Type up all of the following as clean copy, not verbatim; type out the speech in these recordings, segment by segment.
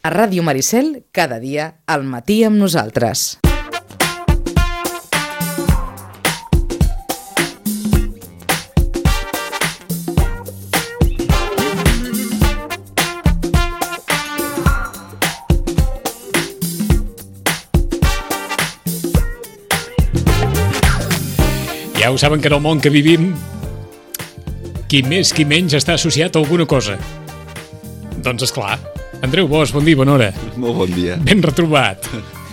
A Ràdio Maricel, cada dia, al matí amb nosaltres. Ja ho saben que en el món que vivim, qui més qui menys està associat a alguna cosa. Doncs esclar. Andreu Bosch, bon dia, bona hora. Molt bon dia. Ben retrobat.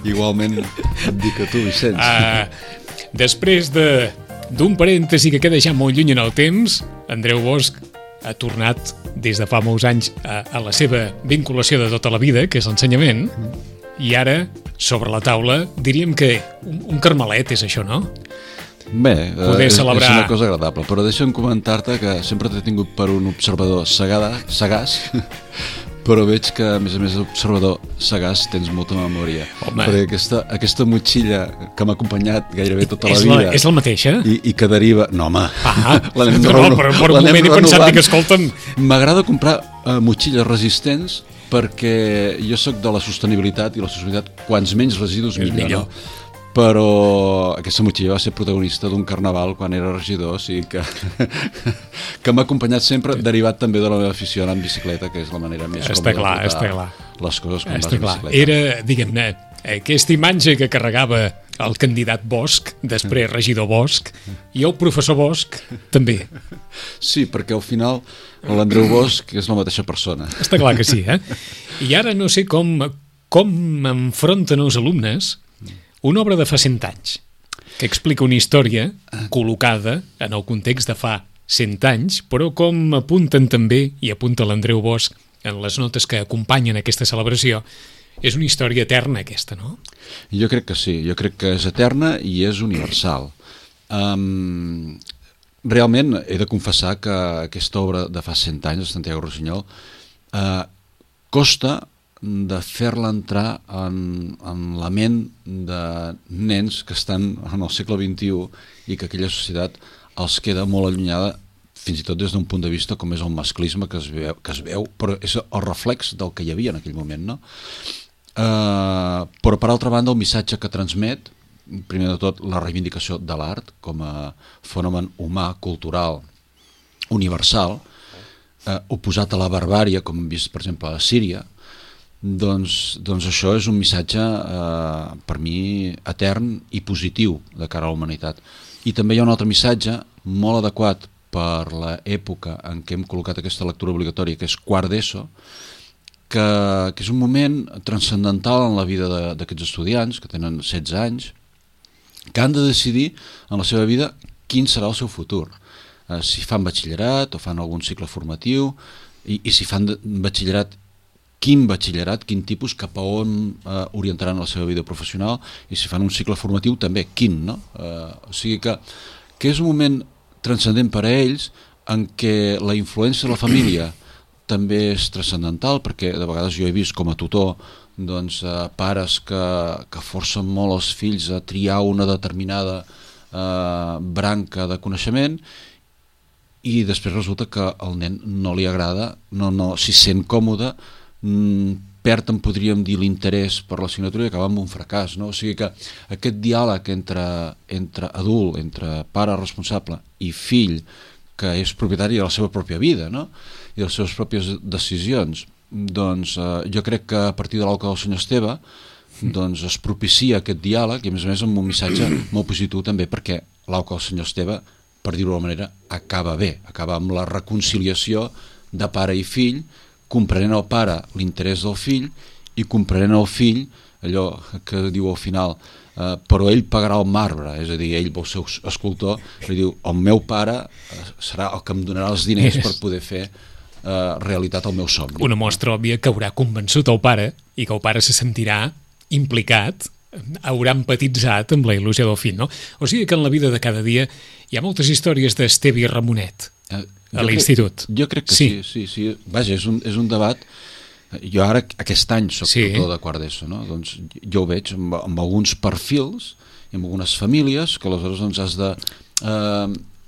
Igualment et dic a tu, Vicenç. Després d'un parèntesi que queda ja molt lluny en el temps, Andreu Bosch ha tornat des de fa molts anys a la seva vinculació de tota la vida, que és l'ensenyament, i ara, sobre la taula, diríem que un carmelet és això, no? Bé, és celebrar... una cosa agradable, però deixa'm comentar-te que sempre t'he tingut per un observador sagaç, però veig que, a més d'observador sagaç, tens molta memòria. Home. Perquè aquesta motxilla que m'ha acompanyat gairebé tota la vida... És la mateixa? I que deriva... No, home. Però per un moment he pensat que, escolta'm... M'agrada comprar motxilles resistents perquè jo sóc de la sostenibilitat i la sostenibilitat, quants menys residus millor. No? Però aquesta motxilla va ser protagonista d'un carnaval quan era regidor, o sigui que m'ha acompanyat sempre, derivat també de la meva afició anar en bicicleta, que és la manera més còmoda de portar les coses quan vas en bicicleta. Era, diguem-ne, aquesta imatge que carregava el candidat Bosch, després regidor Bosch, i el professor Bosch també. Sí, perquè al final l'Andreu Bosch és la mateixa persona. Està clar que sí, I ara no sé com enfronten els alumnes una obra de fa 100 anys, que explica una història col·locada en el context de fa 100 anys, però com apunten també, i apunta l'Andreu Bosch en les notes que acompanyen aquesta celebració, és una història eterna aquesta, no? Jo crec que sí, jo crec que és eterna i és universal. Realment he de confessar que aquesta obra de fa 100 anys, de Santiago Rossinyol, costa de fer-la entrar en la ment de nens que estan en el segle XXI i que aquella societat els queda molt allunyada, fins i tot des d'un punt de vista com és el masclisme que es veu, però és el reflex del que hi havia en aquell moment, no? Però per altra banda el missatge que transmet, primer de tot la reivindicació de l'art com a fenomen humà, cultural, universal, oposat a la barbària, com hem vist per exemple a Síria, doncs això és un missatge per mi etern i positiu de cara a la humanitat. I també hi ha un altre missatge molt adequat per l'època en què hem col·locat aquesta lectura obligatòria, que és quart d'ESO, que és un moment transcendental en la vida d'aquests estudiants que tenen 16 anys, que han de decidir en la seva vida quin serà el seu futur, si fan batxillerat o fan algun cicle formatiu, i si fan batxillerat, quin batxillerat, quin tipus, cap a on orientaran la seva vida professional, i si fan un cicle formatiu també, quin, no? O sigui que és un moment transcendent per a ells en què la influència de la família també és transcendental, perquè de vegades jo he vist com a tutor doncs, pares que forcen molt els fills a triar una determinada branca de coneixement i després resulta que al nen no li agrada, no s'hi sent còmode, perd, en podríem dir, l'interès per l'assignatura i acaba amb un fracàs, no? O sigui que aquest diàleg entre adult, entre pare responsable i fill, que és propietari de la seva pròpia vida, no? I de les seves pròpies decisions, doncs jo crec que a partir de l'Auca del senyor Esteve doncs es propicia aquest diàleg i a més amb un missatge molt positiu també, perquè l'Auca del senyor Esteve, per dir-ho d'alguna manera, acaba bé, acaba amb la reconciliació de pare i fill, comprenent al pare l'interès del fill i comprenent al fill allò que diu al final, però ell pagarà el marbre, és a dir, ell vol ser escultor, i diu, el meu pare serà el que em donarà els diners per poder fer realitat el meu somni. Una mostra òbvia que haurà convençut el pare i que el pare se sentirà implicat, haurà empatitzat amb la il·lusió del fill, no? O sigui que en la vida de cada dia hi ha moltes històries d'Esteve i Ramonet a l'institut. Jo crec que sí. Vaja, és un debat. Jo ara, aquest any, soc tutor de quart d'ESO, no? Doncs jo ho veig amb alguns perfils i amb algunes famílies que aleshores doncs, has de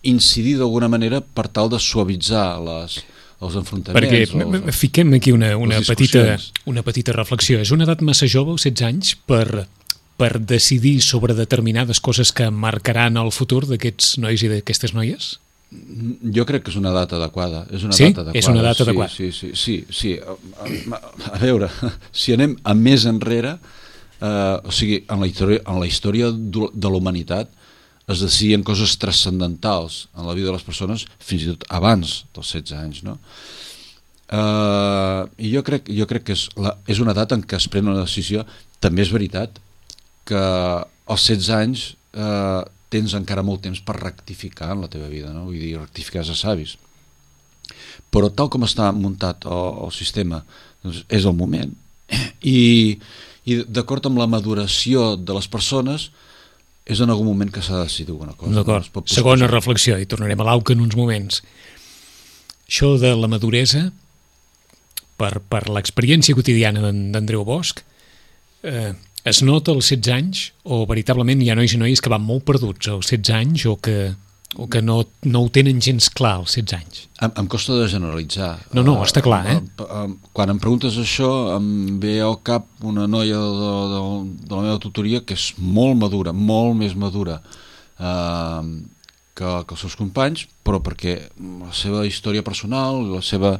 incidir d'alguna manera per tal de suavitzar els enfrontaments. Perquè fiquem aquí una petita reflexió. És una edat massa jove, els 16 anys, per decidir sobre determinades coses que marcaran el futur d'aquests nois i d'aquestes noies? Jo crec que és una data adequada. És una sí? Data adequada. És una data adequada. Sí. A veure, si anem a més enrere, o sigui, en la història de la humanitat es decidien coses transcendentals en la vida de les persones fins i tot abans dels 16 anys, no? I jo crec que és una data en què es pren una decisió. També és veritat que als 16 anys tens encara molt temps per rectificar en la teva vida, no? Vull dir, rectificar és de savis. Però tal com està muntat el sistema, doncs és el moment. I d'acord amb la maduració de les persones, és en algun moment que s'ha de decidir alguna cosa. D'acord. Segona reflexió, i tornarem a l'AUCA en uns moments. Això de la maduresa, per l'experiència quotidiana d'Andreu Bosch, es nota als 16 anys o veritablement hi ha nois i noies que van molt perduts als 16 anys o que no ho tenen gens clar als 16 anys? Em costa de generalitzar. No, està clar, Quan em preguntes això, em ve al cap una noia de la meva tutoria que és molt madura, molt més madura que els seus companys, però perquè la seva història personal, la seva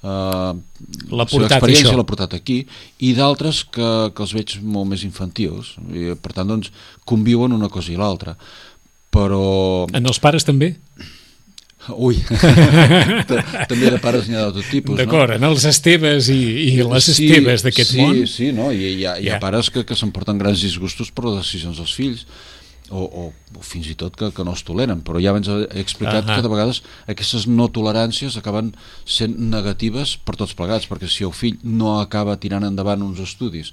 experiència l'ha portat aquí, i d'altres que els veig molt més infantils, i per tant doncs conviuen una cosa i l'altra. Però... En els pares també? Ui, també de pares n'hi ha de tot tipus. D'acord, no? En els Esteves i les Esteves d'aquest món. Sí, no? Hi ha pares que s'emporten grans disgustos per les decisions dels fills, o fins i tot que no es toleren, però ja abans he explicat que de vegades aquestes no toleràncies acaben sent negatives per tots plegats, perquè si el fill no acaba tirant endavant uns estudis,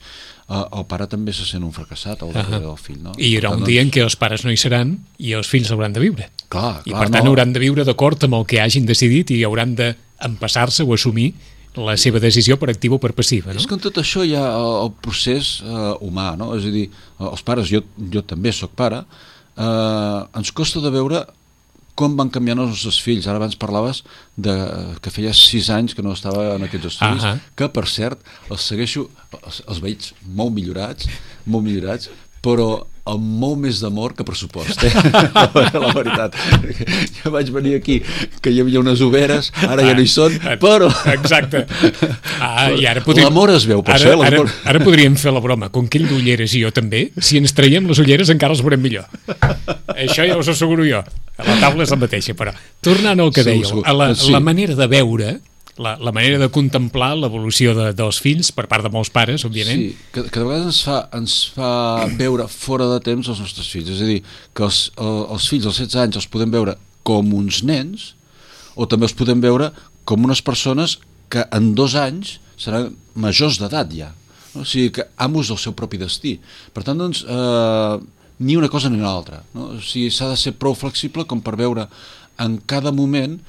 el pare també se sent un fracassat al darrere del fill, no? I hi haurà un dia en què els pares no hi seran i els fills hauran de viure. Clar, I per tant hauran de viure d'acord amb el que hagin decidit i hauran d'empassar-se o assumir la seva decisió per activa o per passiva, no? És que en tot això hi ha el procés humà, no? És a dir, els pares, jo també sóc pare, ens costa de veure com van canviant els nostres fills. Ara abans parlaves que feia 6 anys que no estava en aquests estudis, que per cert els segueixo, els veig molt millorats, però amb molt més d'amor que pressupost, la veritat. Jo vaig venir aquí que hi havia unes overes, ara ja no hi són, però... Exacte. L'amor es veu, per això. Ara podríem fer la broma, com que ell d'ulleres i jo també, si ens traiem les ulleres encara els veurem millor. Això ja us asseguro jo. La taula és la mateixa, però tornant al que dèieu, la manera de veure... La manera de contemplar l'evolució dels fills per part de molts pares, òbviament. Sí, que de vegades ens fa veure fora de temps els nostres fills. És a dir, que els fills als 16 anys els podem veure com uns nens o també els podem veure com unes persones que en 2 anys seran majors d'edat ja. No? O sigui, que amos del seu propi destí. Per tant, doncs, ni una cosa ni una altra. No? O sigui, s'ha de ser prou flexible com per veure en cada moment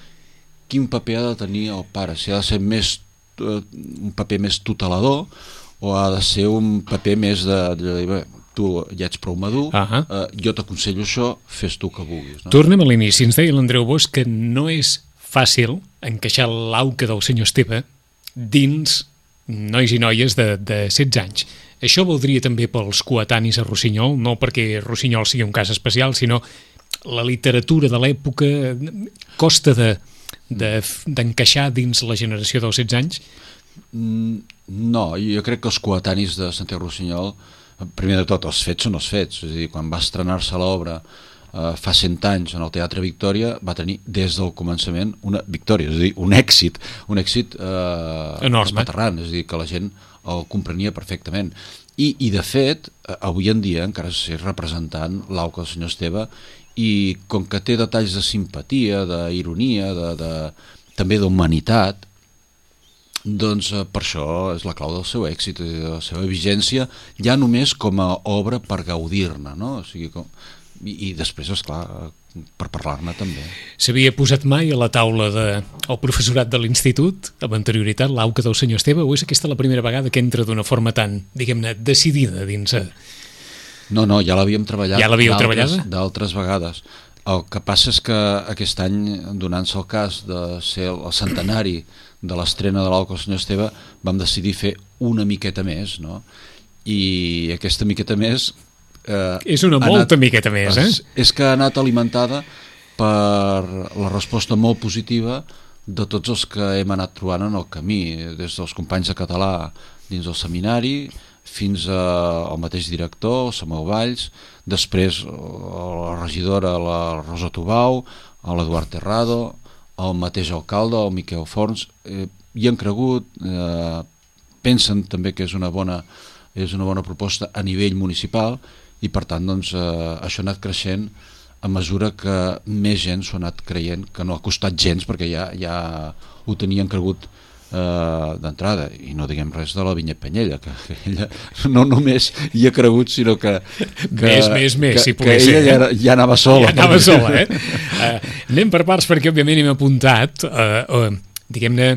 quin paper ha de tenir el pare, si ha de ser un paper més tutelador o ha de ser un paper més de dir, tu ja ets prou madur, jo t'aconsello això, fes tu que vulguis. No? Tornem a l'inici, ens deia l'Andreu Bosch que no és fàcil encaixar l'auca del senyor Esteve dins nois i noies de 16 anys. Això voldria també pels coetanis a Rossinyol, no perquè Rossinyol sigui un cas especial, sinó la literatura de l'època costa d'encaixar dins la generació dels 16 anys? No, jo crec que els coetanis de Santiago Rossinyol, primer de tot, els fets són els fets. És a dir, quan va estrenar-se l'obra fa 100 anys en el Teatre Victòria, va tenir des del començament una victòria, és a dir, un èxit espaterrant, és a dir, que la gent el comprenia perfectament. I de fet, avui en dia encara s'és representant l'auca del senyor Esteve, i com que té detalls de simpatia, d'ironia, també d'humanitat, doncs per això és la clau del seu èxit, de la seva vigència, ja només com a obra per gaudir-ne, no? O sigui, i després, esclar, per parlar-ne també. S'havia posat mai a la taula del professorat de l'institut, amb anterioritat, l'auca del senyor Esteve, o és aquesta la primera vegada que entra d'una forma tan, diguem-ne, decidida dins... No, ja l'havíem treballat d'altres vegades. El que passa és que aquest any, donant-se el cas de ser el centenari de l'estrena de l'Auca del Senyor Esteve, vam decidir fer una miqueta més, no? I aquesta miqueta més... és una molta miqueta més, eh? És que ha anat alimentada per la resposta molt positiva de tots els que hem anat trobant en el camí, des dels companys de català dins del seminari fins al mateix director, Samuel Valls, després la regidora, la Rosa Tubau, l'Eduard Terrado, el mateix alcalde, el Miquel Forns, hi han cregut, pensen també que és una bona proposta a nivell municipal i per tant doncs, això ha anat creixent a mesura que més gent s'ho ha anat creient, que no ha costat gens perquè ja ho tenien cregut d'entrada, i no diguem res de la Vinyet Penyella, que ella no només hi ha cregut, sinó que si pogués ser, ella ja anava sola. Ja anava sola, anem per parts perquè òbviament hem apuntat diguem-ne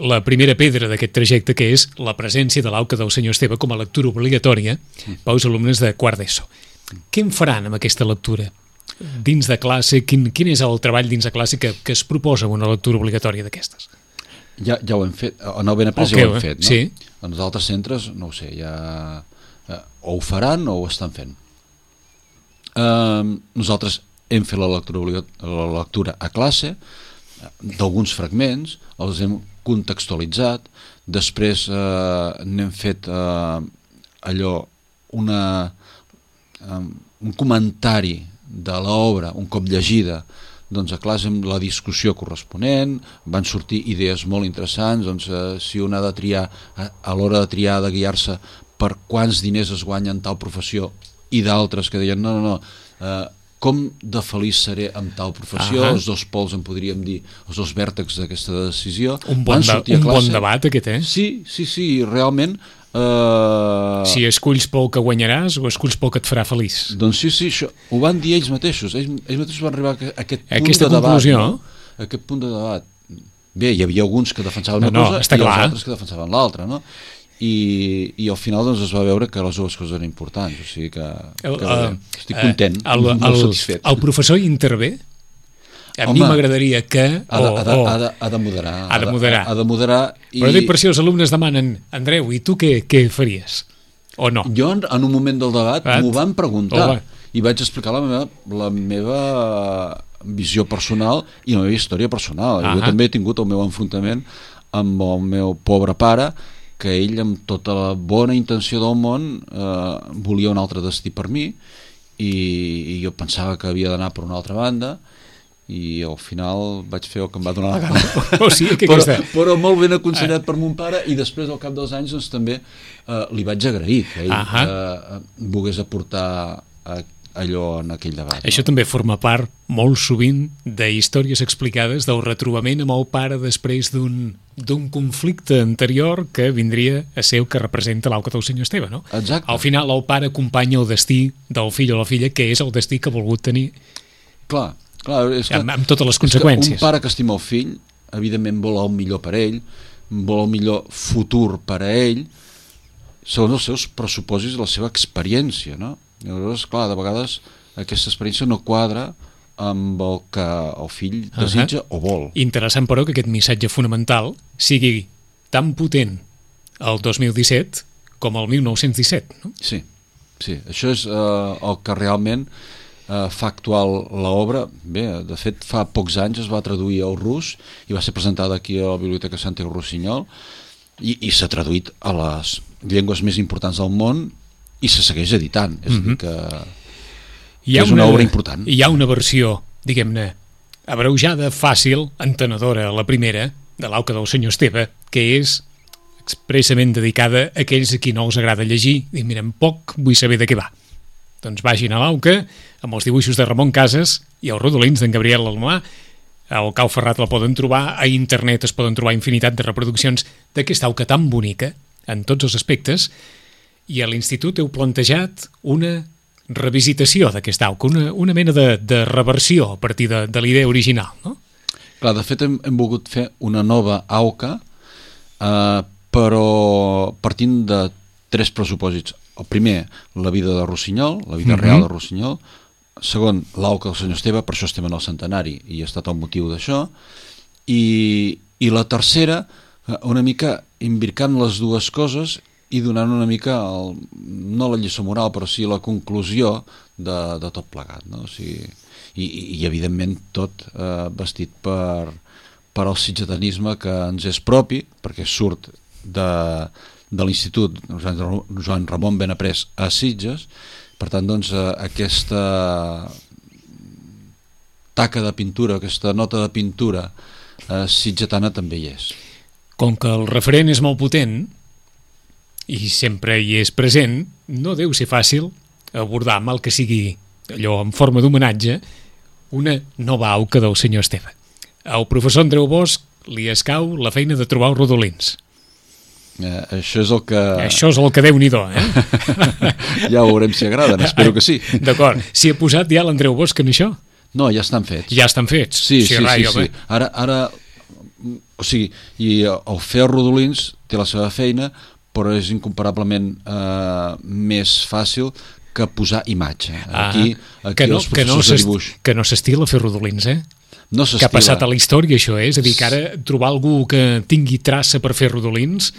la primera pedra d'aquest trajecte, que és la presència de l'Auca del Senyor Esteve com a lectura obligatòria pels alumnes de quart d'ESO. Què en faran amb aquesta lectura? Dins de classe, quin és el treball dins de classe que es proposa una lectura obligatòria d'aquestes? Ja ho hem fet, en el Benaprés ja ho hem fet, no? Sí. En els altres centres, no ho sé, ja o ho faran o ho estan fent. Nosaltres hem fet la lectura a classe, d'alguns fragments, els hem contextualitzat, després n'hem fet allò, un comentari de l'obra un cop llegida, doncs a classe amb la discussió corresponent, van sortir idees molt interessants, doncs si un ha de triar, a l'hora de triar, de guiar-se per quants diners es guanyen tal professió, i d'altres que deien no, com de feliç seré amb tal professió, els dos pols en podríem dir, els dos vèrtexs d'aquesta decisió. Un bon debat aquest, eh? Sí, realment. Si esculls pel que guanyaràs o esculls pel que et farà feliç. Doncs sí, això ho van dir ells mateixos. Ells mateixos van arribar a aquest punt aquesta de debat. No? Aquest punt de debat. Bé, hi havia alguns que defensaven una cosa i els altres que defensaven l'altra, no? I al final doncs, es va veure que les dues coses eren importants, o sigui que estic content, molt satisfet. El professor hi intervé? A mi m'agradaria que... Ha de moderar. Ha de moderar. Però dic per si els alumnes demanen, Andreu, i tu què faries? O no? Jo en un moment del debat m'ho van preguntar i vaig explicar la meva visió personal i la meva història personal. Jo també he tingut el meu enfrontament amb el meu pobre pare, que ell amb tota la bona intenció del món volia un altre destí per mi i jo pensava que havia d'anar per una altra banda i al final vaig fer el que em va donar la gana. O sigui, però molt ben aconsellat per mon pare i després al cap dels anys doncs, també li vaig agrair que ell volgués aportar allò en aquell debat. Això també forma part molt sovint de històries explicades del retrobament amb el pare després d'un conflicte anterior que vindria a ser el que representa l'Auca del Senyor Esteve, no? Exacte. Al final el pare acompanya el destí del fill o la filla, que és el destí que ha volgut tenir. Clar, és que, amb totes les conseqüències. Un pare que estima el fill, evidentment vol el millor per ell, vol el millor futur per a ell, segons els seus pressupòsits i la seva experiència, no? Llavors, clar, de vegades aquesta experiència no quadra amb el que el fill desitja o vol. Interessant, però, que aquest missatge fonamental sigui tan potent el 2017 com el 1917, no? Sí, això és el que realment fa actual l'obra. Bé, de fet, fa pocs anys es va traduir al rus i va ser presentada aquí a la Biblioteca Santiago Rossinyol i s'ha traduït a les llengües més importants del món i se segueix editant, és a dir que és una obra important. Hi ha una versió, diguem-ne, abreujada, fàcil, entenedora, la primera, de l'Auca del Senyor Esteve, que és expressament dedicada a aquells a qui no els agrada llegir i miren poc, vull saber de què va. Doncs vagin a l'Auca, amb els dibuixos de Ramon Casas i els rodolins d'en Gabriel Alomà. Al Cau Ferrat la poden trobar, a internet es poden trobar infinitat de reproduccions d'aquesta Auca tan bonica, en tots els aspectes, i a l'Institut heu plantejat una revisitació d'aquesta Auca, una mena de reversió a partir de la idea original, no? Clar, de fet hem volgut fer una nova Auca, però partint de 3 pressupòsits. El primer, la vida de Rossinyol, la vida real de Rossinyol, segon, l'auca del senyor Esteve, per això estem en el centenari i ha estat el motiu d'això, i la tercera, una mica imbircant les dues coses i donant una mica, no la lliçó moral, però sí la conclusió de tot plegat, no? O sigui, i evidentment tot vestit per el sitgetanisme que ens és propi, perquè surt de l'Institut Joan Ramon Benaprés a Sitges. Per tant, doncs, aquesta taca de pintura, aquesta nota de pintura sitgetana també hi és. Com que el referent és molt potent i sempre hi és present, no deu ser fàcil abordar, mal que sigui allò en forma d'homenatge, una nova auca del senyor Esteve. Al professor Andreu Bosch li escau la feina de trobar els rodolins. Això és el que... Això és el que Déu-n'hi-do, Ja veurem si agraden, espero que sí. D'acord. S'hi ha posat ja l'Andreu Bosch en això? No, ja estan fets. Ja estan fets? Sí. Ara, o sigui, i el fer els rodolins té la seva feina, però és incomparablement més fàcil que posar imatge. Aquí els professors de dibuix... Que no s'estila fer rodolins, No que ha passat a la història, això, és a dir, que ara trobar algú que tingui traça per fer rodolins,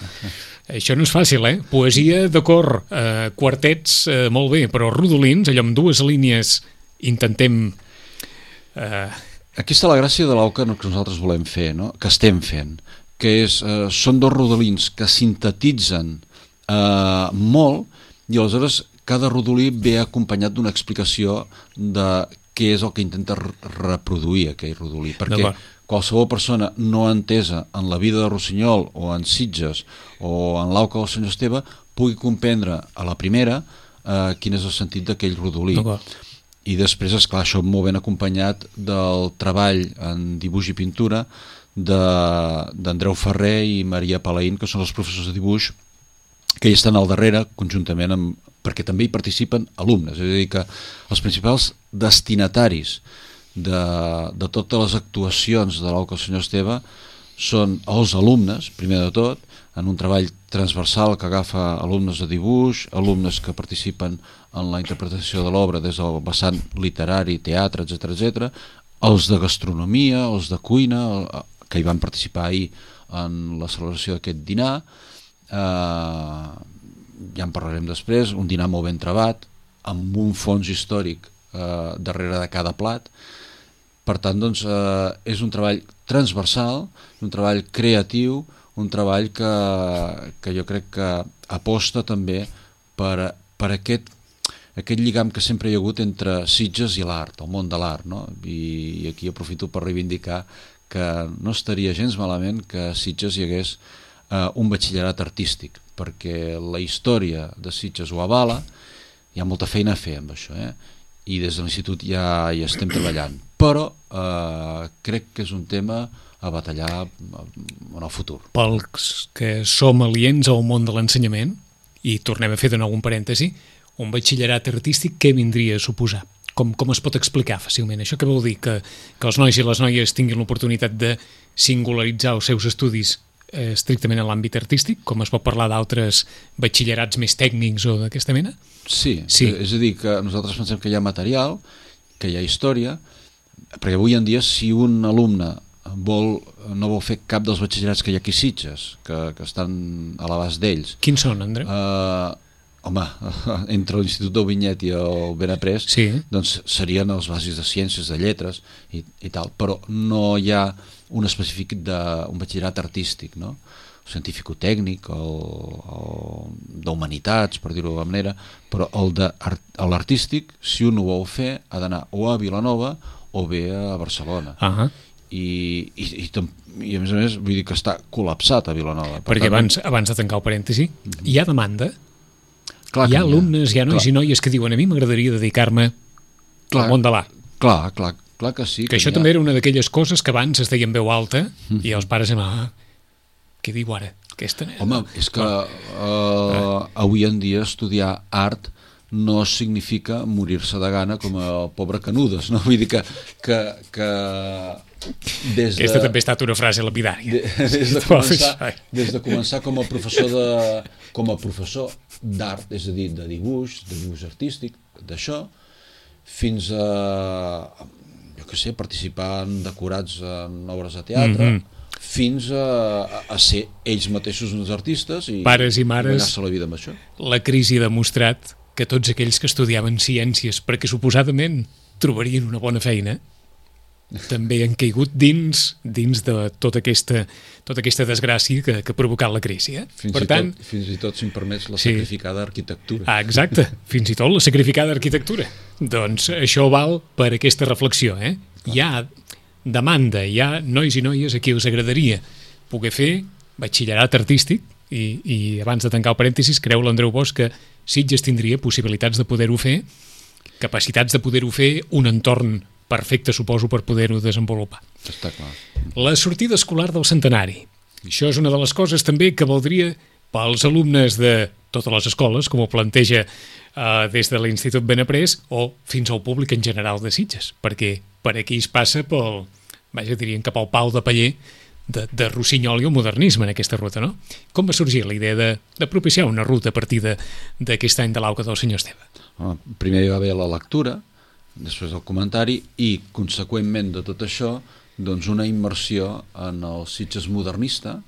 això no és fàcil, Poesia, d'acord, quartets, molt bé, però rodolins, allò amb dues línies, intentem... Aquí està la gràcia de l'auca que nosaltres volem fer, no? Que estem fent, que són dos rodolins que sintetitzen molt, i aleshores cada rodolí ve acompanyat d'una explicació de què és el que intenta reproduir aquell rodolí, perquè qualsevol persona no entesa en la vida de Rossinyol o en Sitges o en l'auca del senyor Esteve pugui comprendre a la primera quin és el sentit d'aquell rodolí. I després, esclar, això molt ben acompanyat del treball en dibuix i pintura d'Andreu Ferrer i Maria Palaín, que són els professors de dibuix que hi estan al darrere, conjuntament amb... perquè també hi participen alumnes, és a dir, que els principals destinataris de totes les actuacions de l'auca del senyor Esteve són els alumnes, primer de tot, en un treball transversal que agafa alumnes de dibuix, alumnes que participen en la interpretació de l'obra des del vessant literari, teatre, etc, els de gastronomia, els de cuina, que hi van participar ahir en la celebració d'aquest dinar, ja en parlarem després, un dinar molt ben trebat, amb un fons històric darrere de cada plat. Per tant, doncs, és un treball transversal, un treball creatiu, un treball que jo crec que aposta també per aquest lligam que sempre hi ha hagut entre Sitges i l'art, el món de l'art, no? I aquí aprofito per reivindicar que no estaria gens malament que a Sitges hi hagués un batxillerat artístic, perquè la història de Sitges ho avala, hi ha molta feina a fer amb això, i des de l'institut ja hi estem treballant, però crec que és un tema a batallar en el futur. Pels que som aliens al món de l'ensenyament, i tornem a fer de nou un parèntesi, un batxillerat artístic què vindria a suposar? Com es pot explicar fàcilment? Això què vol dir? Que els nois i les noies tinguin l'oportunitat de singularitzar els seus estudis estrictament en l'àmbit artístic, com es pot parlar d'altres batxillerats més tècnics o d'aquesta mena? Sí, és a dir, que nosaltres pensem que hi ha material, que hi ha història, perquè avui en dia si un alumne no vol fer cap dels batxillerats que hi ha aquí a Sitges, que estan a l'abast d'ells. Quins són, Andreu? Home, entre l'Institut del Vinyet i el Benaprés, doncs serien els bàsics de ciències, de lletres i tal, però no hi ha un específic d'un batxillerat artístic, no? Científico-tècnic o d'humanitats, per dir-ho d'alguna manera, però l'artístic, si un ho vol fer, ha d'anar o a Vilanova o bé a Barcelona. I a més, vull dir que està col·lapsat a Vilanova. Perquè abans de tancar el parèntesi, hi ha demanda? Hi ha alumnes, hi ha nois i noies que diuen a mi m'agradaria dedicar-me al món de l'art. Clar que sí. Que això també era una d'aquelles coses que abans es deia en veu alta i els pares què diu ara? Home, és que avui en dia estudiar art no significa morir-se de gana com el pobre Canudes, no? Vull dir que des de... Aquesta també ha estat una frase lapidària. Des de començar com a professor d'art, és a dir, de dibuix artístic, d'això, fins a, jo què sé, participar en decorats en obres de teatre, fins a ser ells mateixos uns artistes i pares i mares, guanyar-se la vida amb això. La crisi ha demostrat que tots aquells que estudiaven ciències perquè suposadament trobarien una bona feina també han caigut dins de tota aquesta desgràcia que ha provocat la crisi. Fins i tot, si em permets, la sacrificada arquitectura. Exacte, fins i tot la sacrificada arquitectura. Doncs això val per aquesta reflexió. Hi ha demanda, hi ha nois i noies a qui us agradaria poder fer batxillerat artístic i abans de tancar el parèntesis, creu l'Andreu Bosch que Sitges tindria possibilitats de poder-ho fer, capacitats de poder-ho fer, un entorn perfecte, suposo, per poder-ho desenvolupar. Està clar. La sortida escolar del centenari. Això és una de les coses també que valdria pels alumnes de totes les escoles, com ho planteja des de l'Institut Benaprés, o fins al públic en general de Sitges, perquè per aquí es passa pel, diríem, cap al pal de paller de Rossinyol i el modernisme en aquesta ruta, no? Com va sorgir la idea de propiciar una ruta a partir d'aquest any de l'auca del senyor Esteve? Primer hi va haver la lectura, després el comentari i, conseqüentment de tot això, doncs una immersió en el Sitges modernista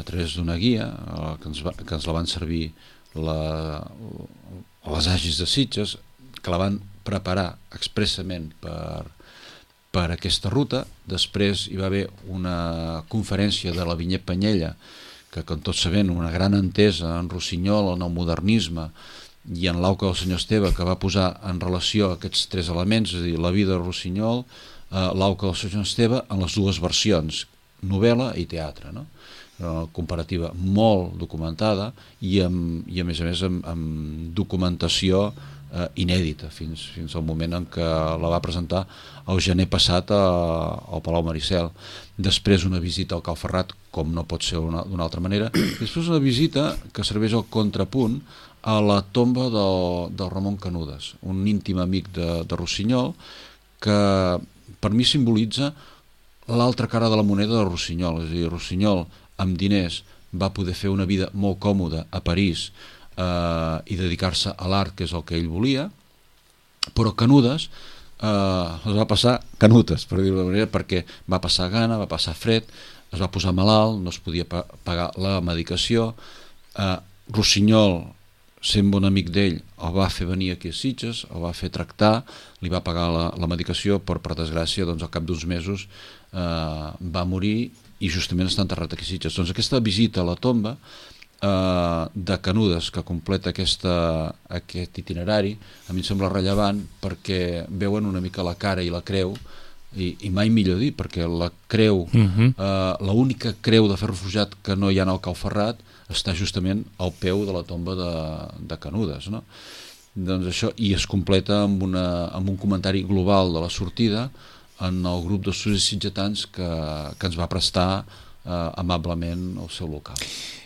a través d'una guia que ens la van servir les Agis de Sitges, que la van preparar expressament per aquesta ruta. Després hi va haver una conferència de la Vinyet Panyella, que com tots sabem, una gran entesa en Rossinyol, en el modernisme i en l'auca del senyor Esteve, que va posar en relació aquests tres elements, és a dir, la vida de Rossinyol, l'auca del senyor Esteve, en les dues versions, novel·la i teatre, no? Una comparativa molt documentada i a més amb documentació inèdita fins al moment en què la va presentar el gener passat al Palau Maricel. Després una visita al Cal Ferrat, com no pot ser d'una altra manera. Després una visita que serveix al contrapunt a la tomba del Ramon Canudes, un íntim amic de Rossinyol, que per mi simbolitza l'altra cara de la moneda de Rossinyol. És a dir, Rossinyol amb diners va poder fer una vida molt còmoda a París i dedicar-se a l'art, que és el que ell volia, però Canudes les va passar canutes, per dir-ho d'una manera, perquè va passar gana, va passar fred, es va posar malalt, no es podia pagar la medicació. Rossinyol, sent bon amic d'ell, el va fer venir aquí a Sitges, el va fer tractar, li va pagar la medicació, però per desgràcia doncs, al cap d'uns mesos va morir i justament està enterrat aquí a Sitges. Doncs aquesta visita a la tomba de Canudes, que completa aquest itinerari, a mi em sembla rellevant perquè veuen una mica la cara i la creu, i mai millor dir, perquè la creu, l'única creu de ferro forjat que no hi ha al Cal Ferrat està justament al peu de la tomba de Canudes, no? Doncs això, i es completa amb un comentari global de la sortida en el grup d'estudis sitgetans que ens va prestar amablement el seu local.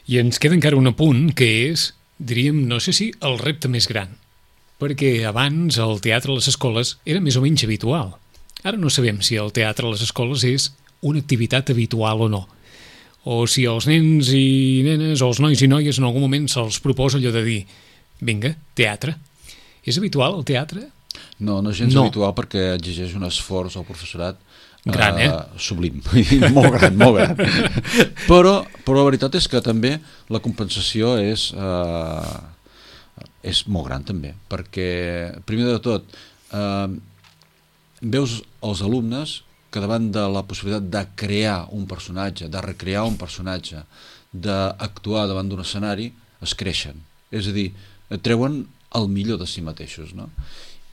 I ens queda encara un apunt que és, diríem, no sé si el repte més gran, perquè abans el teatre a les escoles era més o menys habitual. Ara no sabem si el teatre a les escoles és una activitat habitual o no, o si els nens i nenes o els nois i noies en algun moment se'ls proposa allò de dir vinga, teatre. És habitual el teatre? No és gens habitual, perquè exigeix un esforç al professorat gran, sublim, molt gran. Però la veritat és que també la compensació és molt gran també, perquè primer de tot veus els alumnes que davant de la possibilitat de crear un personatge, de recrear un personatge, d'actuar davant d'un escenari, es creixen. És a dir, treuen el millor de si mateixos, no?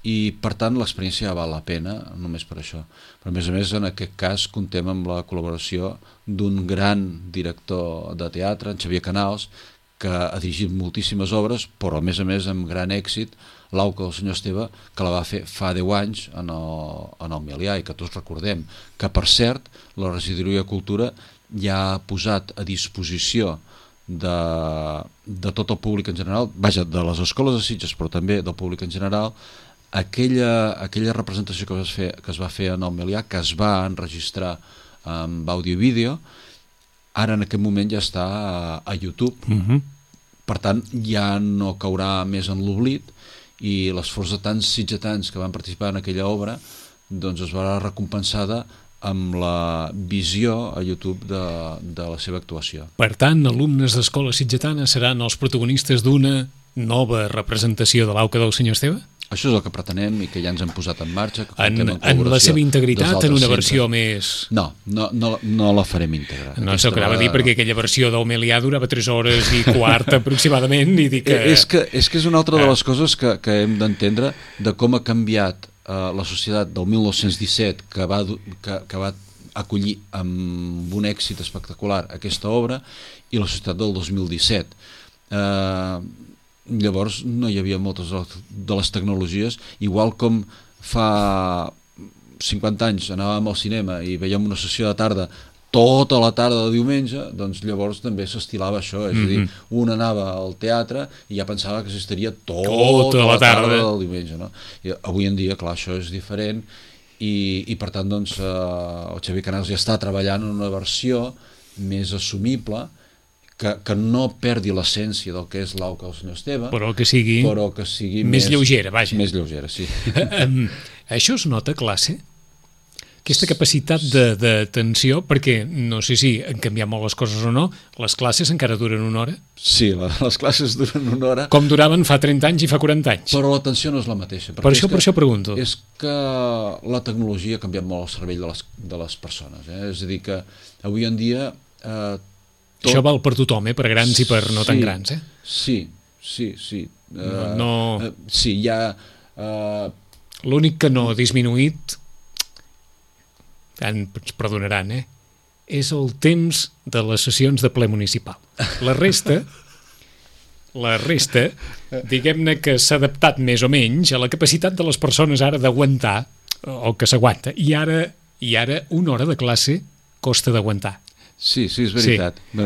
I per tant l'experiència val la pena només per això. Però a més en aquest cas contem amb la col·laboració d'un gran director de teatre, en Xavier Canals, que ha dirigit moltíssimes obres, però a més amb gran èxit, l'auca del senyor Esteve, que la va fer fa 10 anys en el Milià, i que tots recordem que, per cert, la Regidoria de Cultura ja ha posat a disposició de tot el públic en general, vaja, de les escoles de Sitges, però també del públic en general, aquella representació que es va fer en el Milià, que es va enregistrar amb àudio i vídeo, ara en aquest moment ja està a YouTube. Per tant ja no caurà més en l'oblit, i l'esforç de tants sitgetans que van participar en aquella obra doncs es va recompensada amb la visió a YouTube de la seva actuació. Per tant, alumnes d'escola sitgetana seran els protagonistes d'una nova representació de l'Auca del senyor Esteve? Això és el que pretenem i que ja ens hem posat en marxa. En la seva integritat, en una versió més... No la farem íntegra. No, s'ho acaba de dir perquè aquella versió d'Homelià durava 3 hores i quart aproximadament i dic que... És que és una altra de les coses que hem d'entendre de com ha canviat la societat del 1917 que va acollir amb un èxit espectacular aquesta obra i la societat del 2017. Llavors no hi havia moltes de les tecnologies, igual com fa 50 anys anàvem al cinema i veiem una sessió de tarda tota la tarda de diumenge, doncs llavors també s'estilava això, és a dir, un anava al teatre i ja pensava que s'estaria tota la tarda del diumenge, no? I avui en dia, clar, això és diferent i per tant, doncs, el Xavier Canals ja està treballant en una versió més assumible que no perdi l'essència del que és l'Auca del senyor Esteve, però que sigui més lleugera, vaja. Més lleugera, sí. Això es nota a classe? Aquesta capacitat d'atenció, perquè no sé si han canviat molt les coses o no, les classes encara duren 1 hora? Sí, les classes duren 1 hora. Com duraven fa 30 anys i fa 40 anys. Però l'atenció no és la mateixa. Per això pregunto. És que la tecnologia ha canviat molt el cervell de les persones. És a dir, que avui en dia... Això val per tothom, per grans i per no tan grans, Sí. Sí, hi ha... L'únic que no ha disminuït, ens perdonaran, és el temps de les sessions de ple municipal. La resta, diguem-ne que s'ha adaptat més o menys a la capacitat de les persones ara d'aguantar, o que s'aguanta, i ara 1 hora de classe costa d'aguantar. Sí, és veritat. Sí.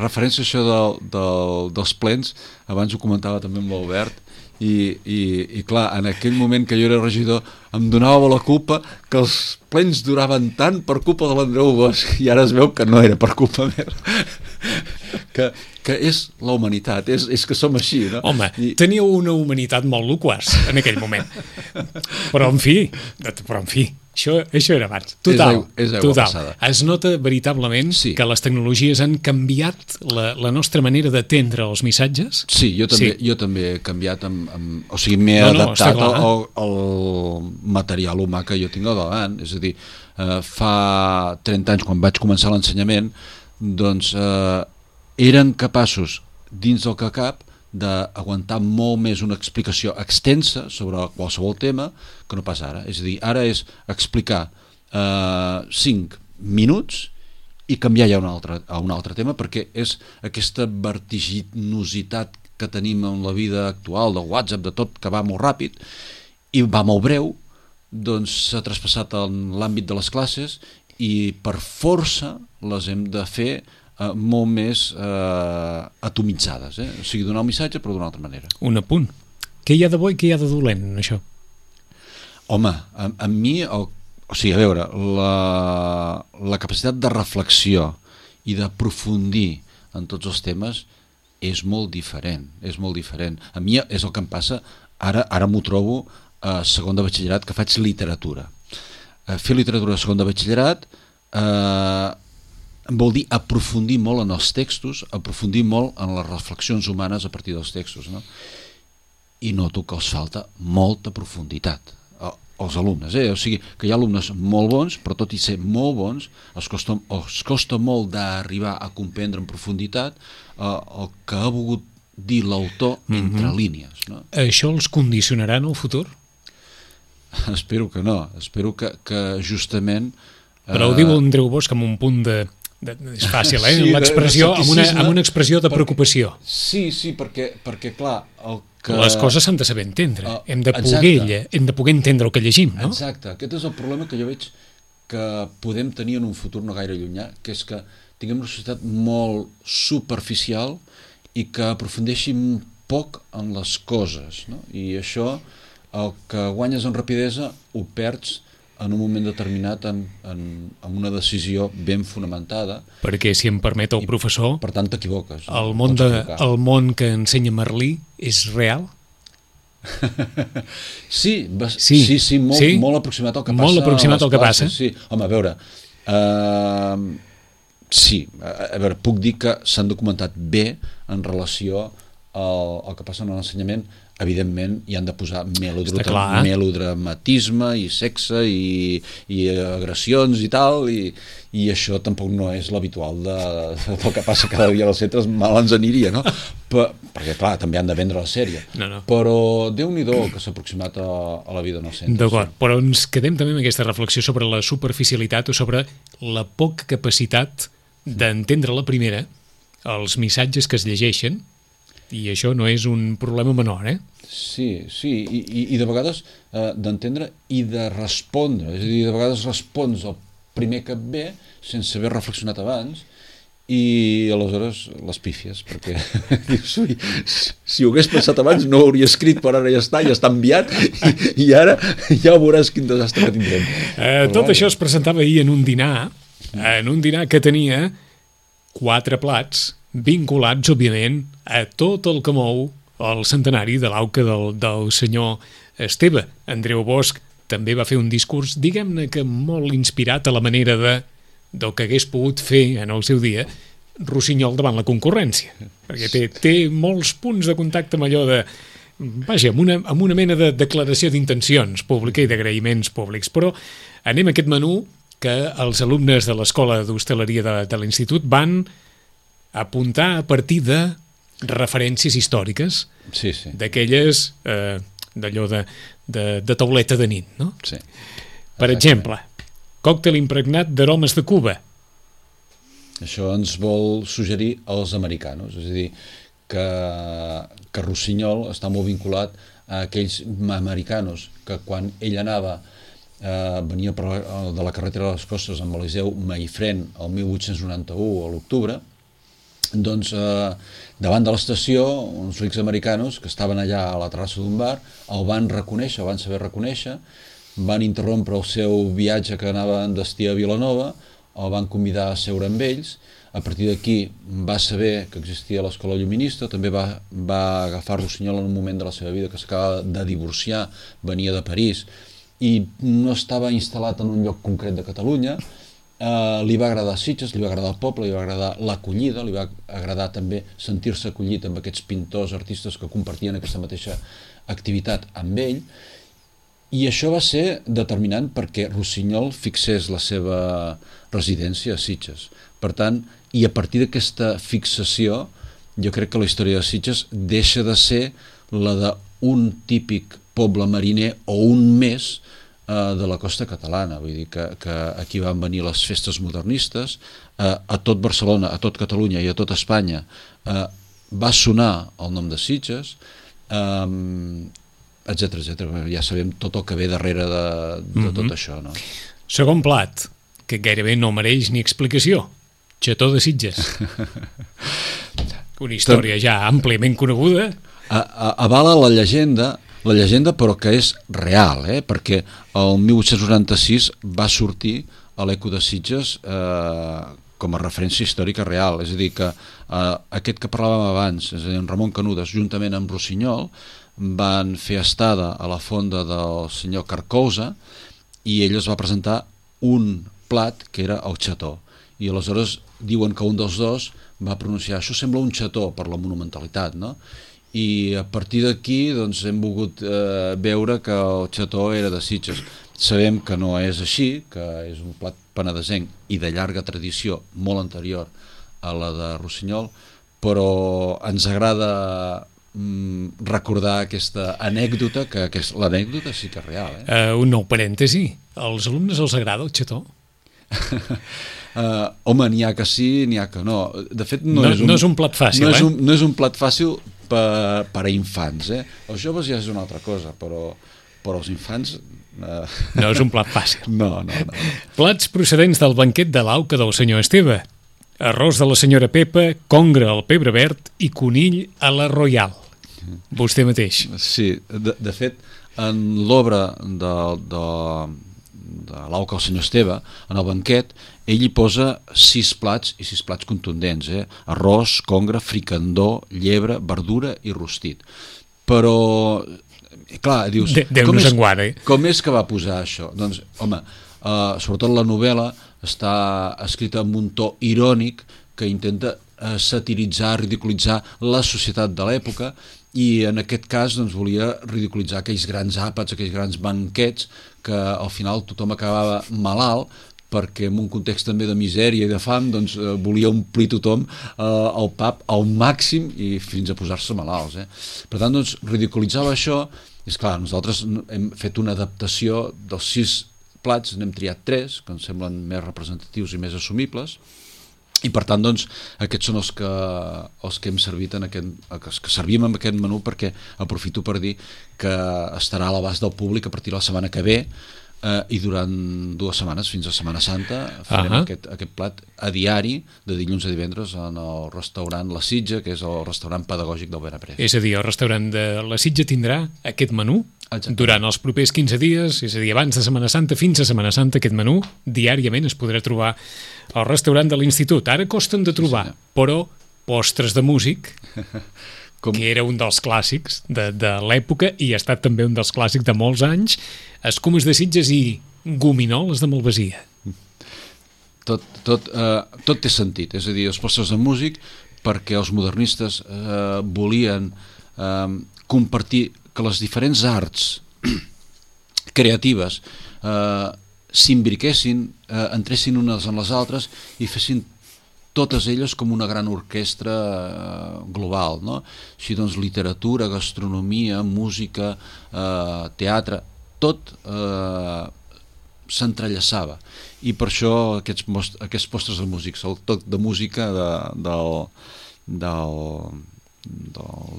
Referència a això dels plens, abans ho comentava també amb l'Albert, i clar, en aquell moment que jo era regidor em donava la culpa que els plens duraven tant per culpa de l'Andreu Bosch, i ara es veu que no era per culpa meva. Que és la humanitat, és que som així, no? Home, teníeu una humanitat molt loquaç en aquell moment. Però en fi, això era abans. Total. Es nota veritablement que les tecnologies han canviat la nostra manera d'atendre els missatges? Sí, jo també he canviat, o sigui, m'he adaptat al material humà que jo tinc al davant. És a dir, fa 30 anys, quan vaig començar l'ensenyament, doncs eren capaços, dins del que cap, d'aguantar molt més una explicació extensa sobre qualsevol tema que no pas ara. És a dir, ara és explicar 5 minuts i canviar ja a un altre tema, perquè és aquesta vertiginositat que tenim en la vida actual, del WhatsApp, de tot, que va molt ràpid i va molt breu, doncs s'ha traspassat en l'àmbit de les classes i per força les hem de fer molt més atomitzades, o sigui, donar un missatge però d'una altra manera. Un apunt. Què hi ha de bo i què hi ha de dolent en això? Home, a mi, o sigui, a veure, la capacitat de reflexió i d'aprofundir en tots els temes és molt diferent, A mi és el que em passa, ara m'ho trobo a segon de batxillerat, que faig literatura. Fer literatura a segon de batxillerat vol dir aprofundir molt en els textos, aprofundir molt en les reflexions humanes a partir dels textos, no? I noto que els falta molta profunditat als alumnes, o sigui, que hi ha alumnes molt bons, però tot i ser molt bons, els costa molt d'arribar a comprendre en profunditat el que ha volgut dir l'autor entre línies, no? Això els condicionarà en el futur? Espero que no, espero que justament... Però ho diu Andreu Bosch amb un punt de... és fàcil, l'expressió, amb una expressió de preocupació. Sí, perquè clar, les coses s'han de saber entendre, hem de poder entendre el que llegim, no? Exacte, aquest és el problema que jo veig que podem tenir en un futur no gaire llunyà, que és que tinguem una societat molt superficial i que aprofundeixin poc en les coses, no? I això, el que guanyes en rapidesa ho perds en un moment determinat amb una decisió ben fonamentada. Perquè, si em permet el professor, per tant t'equivoques. El món que ensenya Merlí és real? Sí, molt aproximat al que passa. Molt aproximat al que passa. Sí. Home, a veure, sí, a veure, puc dir que s'han documentat bé en relació al que passa en l'ensenyament. Evidentment hi han de posar melodramatisme i sexe i agressions i tal, i això tampoc no és l'habitual del que passa cada dia als centres, mal ens aniria, no? Perquè clar, també han de vendre la sèrie, però Déu-n'hi-do que s'ha aproximat a la vida en els centres. D'acord, però ens quedem també amb aquesta reflexió sobre la superficialitat o sobre la poca capacitat d'entendre la primera, els missatges que es llegeixen, i això no és un problema menor, Sí, i de vegades d'entendre i de respondre, és a dir, de vegades respons el primer que et ve sense haver reflexionat abans, i aleshores les pífies, perquè si ho hagués pensat abans no ho hauria escrit, però ara ja està enviat, i ara ja veuràs quin desastre que tindrem. Tot això es presentava ahir en un dinar que tenia 4 plats vinculats, òbviament, a tot el que mou el centenari de l'auca del senyor Esteve. Andreu Bosch també va fer un discurs, diguem-ne que molt inspirat a la manera del que hagués pogut fer en el seu dia Rossinyol davant la concurrència, perquè té molts punts de contacte amb allò de... Vaja, amb una mena de declaració d'intencions pública i d'agraïments públics. Però anem a aquest menú que els alumnes de l'Escola d'Hostaleria de l'Institut van apuntar a partir de referències històriques, d'aquelles d'allò de tauleta de nit, no? Sí. Per exemple, còctel impregnat d'aromes de Cuba. Això ens vol suggerir als americanos, és a dir, que Rossinyol està molt vinculat a aquells americanos que quan ell anava venia de la carretera de les Costes amb Eliseu Maifrén el 1891 a l'octubre, doncs davant de l'estació uns rics americanos que estaven allà a la terrassa d'un bar el van reconèixer, el van saber reconèixer, van interrompre el seu viatge que anava en destí a Vilanova, el van convidar a seure amb ells. A partir d'aquí va saber que existia l'escola lluminista, també va agafar Rossinyol en un moment de la seva vida que s'acaba de divorciar, venia de París i no estava instal·lat en un lloc concret de Catalunya. Li va agradar Sitges, li va agradar el poble, li va agradar l'acollida, li va agradar també sentir-se acollit amb aquests pintors, artistes que compartien aquesta mateixa activitat amb ell, i això va ser determinant perquè Rossinyol fixés la seva residència a Sitges. Per tant, i a partir d'aquesta fixació, jo crec que la història de Sitges deixa de ser la d'un típic poble mariner o un més de la costa catalana, vull dir que aquí van venir les festes modernistes, a tot Barcelona, a tot Catalunya i a tot Espanya va sonar el nom de Sitges, etc. Ja sabem tot el que ve darrere de tot això, no? Segon plat, que gairebé no mereix ni explicació, xató de Sitges. Una història ja àmpliament coneguda. Avala la llegenda però que és real, perquè el 1896 va sortir a l'Eco de Sitges com a referència històrica real, és a dir que aquest que parlàvem abans, és a dir, en Ramon Canudes, juntament amb Rossinyol, van fer estada a la fonda del senyor Carcosa i ell es va presentar un plat que era el xató, i aleshores diuen que un dels dos va pronunciar això sembla un xató per la monumentalitat, no? I a partir d'aquí doncs, hem volgut veure que el xató era de Sitges. Sabem que no és així, que és un plat penedesenc i de llarga tradició molt anterior a la de Rossinyol, però ens agrada recordar aquesta anècdota, que l'anècdota sí que és real. Un nou parèntesi, als alumnes els agrada el xató? Home, n'hi ha que sí, n'hi ha que no. De fet, no és un plat fàcil, no és un plat fàcil per a infants, Els joves ja és una altra cosa, però els infants... No és un plat fàcil. No. Plats procedents del banquet de l'auca del senyor Esteve. Arròs de la senyora Pepa, congre al pebre verd i conill a la Royal. Vostè mateix. Sí, de fet, en l'obra de l'auca del senyor Esteve, en el banquet, ell hi posa 6 plats i 6 plats contundents, arròs, congre, fricandó, llebre, verdura i rostit. Però clar, dius, Déu-nos en guarda. Com és que va posar això? Doncs, home, sobretot la novel·la està escrita amb un to irònic que intenta satiritzar, ridiculitzar la societat de l'època, i en aquest cas doncs, volia ridiculitzar aquells grans àpats, aquells grans banquets que al final tothom acabava malalt, perquè en un context també de misèria i de fam doncs, volia omplir tothom el pap al màxim i fins a posar-se malalts. Per tant, doncs, ridiculitzava això, i esclar, nosaltres hem fet una adaptació dels 6 plats, n'hem triat 3, que ens semblen més representatius i més assumibles, i per tant doncs, aquests són els que hem servit els que servim en aquest menú, perquè aprofito per dir que estarà a l'abast del públic a partir de la setmana que ve, i durant 2 setmanes fins a Setmana Santa farem aquest plat a diari de dilluns a divendres en el restaurant La Sitja, que és el restaurant pedagògic del Benaprés. És a dir, el restaurant de La Sitja tindrà aquest menú durant els propers 15 dies, és a dir, abans de Setmana Santa fins a Setmana Santa. Aquest menú diàriament es podrà trobar al restaurant de l'Institut. Ara costen de trobar, però postres de músic, que era un dels clàssics de l'època i ha estat també un dels clàssics de molts anys, escumes de Sitges i gominoles de Malvasia. Tot té sentit, és a dir, els postres de músic, perquè els modernistes volien compartir que les diferents arts creatives s'imbriquessin, entressin unes en les altres i fessin totes elles com una gran orquestra global, no? Així doncs, literatura, gastronomia, música, teatre, tot s'entrellaçava. I per això aquests postres de músics, el toc de música del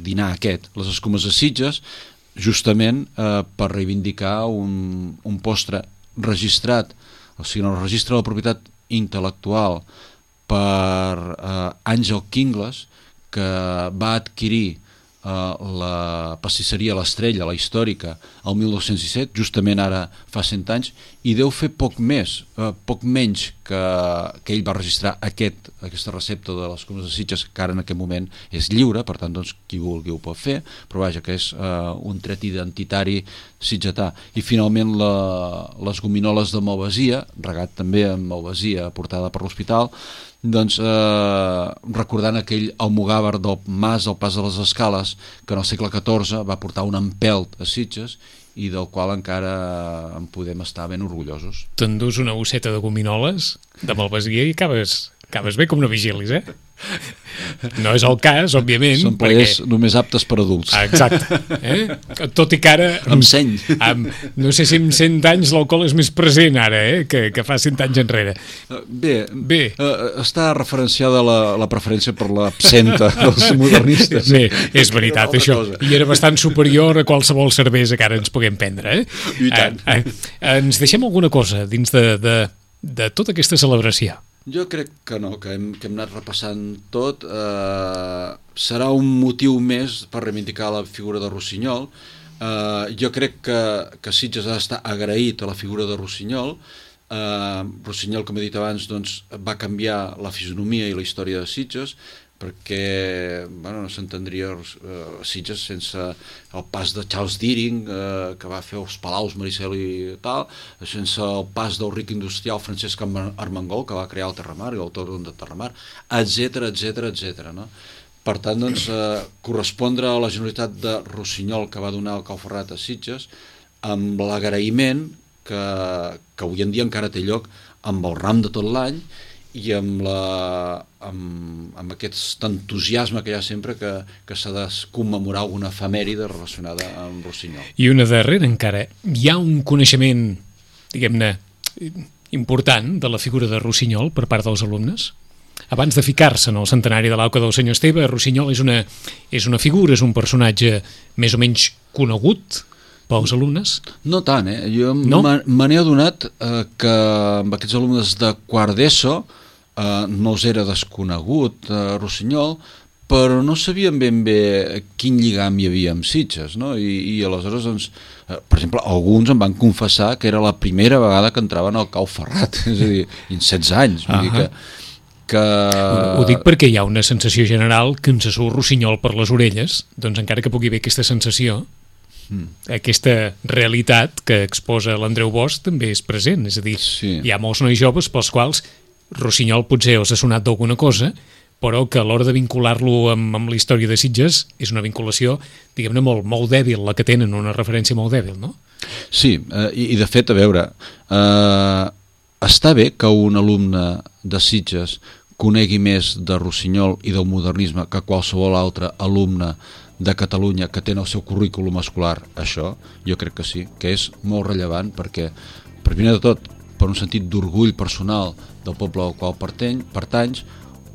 dinar aquest, les escumes de Sitges, justament per reivindicar un postre registrat, o sigui, en el registre de la propietat intel·lectual per Àngel Quingles, que va adquirir la pastisseria L'Estrella, la històrica, el 1917, justament ara fa 100 anys, i deu fer poc menys que ell va registrar aquesta recepta de les escumes de Sitges, que ara en aquest moment és lliure, per tant, doncs, qui vulgui ho pot fer, però vaja, que és un tret identitari sitgetà. I finalment les gominoles de Malvasia, regat també amb Malvasia portada per l'hospital, doncs recordant aquell almogàver del Mas del Pas de les Escales, que en el segle XIV va portar un empelt a Sitges i del qual encara en podem estar ben orgullosos. T'endús una bosseta de gominoles de Malvasia i acabes bé com no vigilis, No és el cas, òbviament. Són plaers només aptes per adults. Exacte. Tot i que ara... Amb seny. No sé si amb 100 anys l'alcohol és més present ara, que fa 100 anys enrere. Bé. Està referenciada la preferència per l'absenta dels modernistes. Bé, és veritat, això. I era bastant superior a qualsevol cervesa que ara ens puguem prendre. I tant. Ens deixem alguna cosa dins de tota aquesta celebració? Jo crec que no, que hem anat repassant tot. Serà un motiu més per reivindicar la figura de Rossinyol. Jo crec que Sitges ha d'estar agraït a la figura de Rossinyol. Rossinyol, com he dit abans, doncs, va canviar la fisonomia i la història de Sitges, perquè no s'entendria Sitges sense el pas de Charles Deering, que va fer els Palaus Maricel i tal, sense el pas del ric industrial Francesc Armengol, que va crear el Terramar i l'Autòdrom de Terramar, etc. No? Per tant, doncs, correspondre a la Generalitat de Rossinyol que va donar el Cau Ferrat a Sitges, amb l'agraïment que avui en dia encara té lloc amb el ram de tot l'any i amb aquest entusiasme que hi ha sempre que s'ha de commemorar alguna efemèride relacionada amb Rossinyol. I una darrera encara, hi ha un coneixement, diguem-ne, important de la figura de Rossinyol per part dels alumnes? Abans de ficar-se en el centenari de l'auca del senyor Esteve, Rossinyol és una figura, és un personatge més o menys conegut pels alumnes? No tant, Jo me n'he adonat que amb aquests alumnes de quart d'ESO no els era desconegut Rossinyol, però no sabien ben bé quin lligam hi havia amb Sitges, no? I aleshores, doncs, per exemple, alguns em van confessar que era la primera vegada que entraven al Cau Ferrat, és a dir, en 16 anys, vull dir que... Ho dic perquè hi ha una sensació general que ens surt Rossinyol per les orelles, doncs encara que pugui haver aquesta sensació, aquesta realitat que exposa l'Andreu Bosch també és present, és a dir, hi ha molts nois joves pels quals Rossinyol potser us ha sonat d'alguna cosa, però que a l'hora de vincular-lo amb la història de Sitges és una vinculació, diguem-ne, molt dèbil, la que tenen, una referència molt dèbil, no? Sí, i de fet, a veure, està bé que un alumne de Sitges conegui més de Rossinyol i del modernisme que qualsevol altre alumne de Catalunya que té en el seu currículum escolar això, jo crec que sí, que és molt rellevant perquè, primer de tot, per un sentit d'orgull personal del poble al qual pertanys,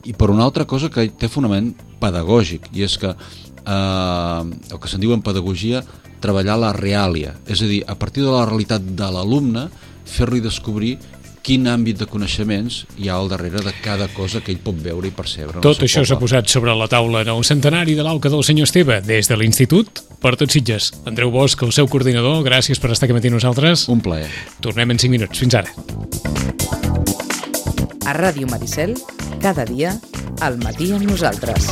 i per una altra cosa que té fonament pedagògic, i és que el que se'n diu en pedagogia treballar la reàlia, és a dir, a partir de la realitat de l'alumne fer-li descobrir quin àmbit de coneixements hi ha al darrere de cada cosa que ell pot veure i percebre. Tot això s'ha posat sobre la taula en el centenari de l'Auca del senyor Esteve, des de l'Institut per tot Sitges. Andreu Bosch, el seu coordinador, gràcies per estar aquí matí amb nosaltres. Un plaer. Tornem en 5 minuts. Fins ara. A Ràdio Maricel, cada dia, al matí amb nosaltres.